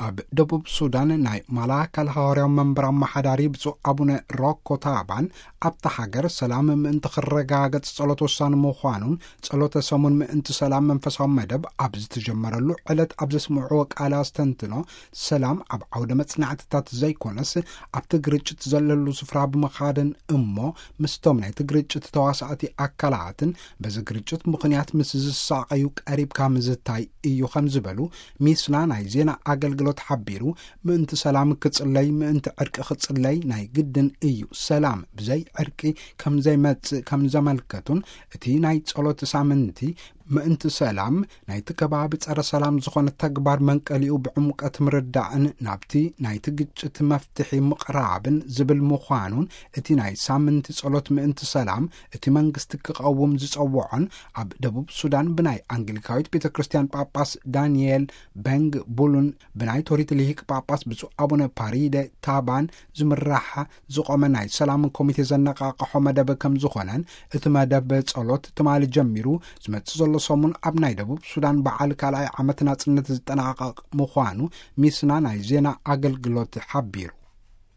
ኣብ ደቡብ ሱዳን ናይ ማላካል ሃዋርያዊ መንበር ኣመሓዳሪ ብፁዕ ኣቡነ ሮኮ ታባን ኣብታ ሃገር ሰላም ምእንቲ ክረጋገጽ ጸሎት ወሳኒ ምዃኑን ጸሎተ ሰሙን ምእንቲ ሰላም መንፈሳዊ መደብ ኣብ ዝተጀመረሉ ዕለት ኣብ ዘስምዕዎ ቃል ኣስተንትኖ፣ ሰላም ኣብ ዓውደ መጽናዕትታት ዘይኮነስ ኣብቲ ግርጭት ዘለሉ ስፍራ ብምኻድን እሞ ምስቶም ናይቲ ግርጭት ተዋሳእቲ ኣካላትን በዚ ግርጭት ምኽንያት ምስ ዝሳቐዩ ቀሪብካ ምዝታይ እዩ ከም ዝበሉ ሚስና ናይ ዜና ኣገልግሎት ሓቢሩ። ምእንቲ ሰላም ክጽለይ፣ ምእንቲ ዕርቂ ክጽለይ ናይ ግድን እዩ። ሰላም ብዘይ ዕርቂ ከም ዘይመጽእ ከም ዘመልከቱን እቲ ናይ ጸሎት ሳምንቲ ምእንቲ ሰላም ናይቲ ከባቢ ጸረ ሰላም ዝኾነ ተግባር መንቀሊኡ ብዕምቀት ምርዳእን ናብቲ ናይቲ ግጭት መፍትሒ ምቕራብን ዝብል ምዃኑን እቲ ናይ ሳምንቲ ጸሎት ምእንቲ ሰላም እቲ መንግስቲ ክቐውም ዝጸውዖን ኣብ ደቡብ ሱዳን ብናይ ኣንግሊካዊት ቤተ ክርስቲያን ጳጳስ ዳንኤል በንግ ቡሉን ብናይ ቶሪት ልሂቅ ጳጳስ ብፁዕ ኣቡነ ፓሪደ ታባን ዝምራሕ ዝቖመ ናይ ሰላም ኮሚቴ ዘነቃቕሖ መደብ ከም ዝኾነን እቲ መደብ ጸሎት ትማሊ ጀሚሩ ዝመጽእ ዘሎ ሰሙን ኣብ ናይ ደቡብ ሱዳን በዓል ካልኣይ ዓመት ናጽነት ዝጠናቐቕ ምዃኑ ሚስና ናይ ዜና ኣገልግሎት ሓቢሩ።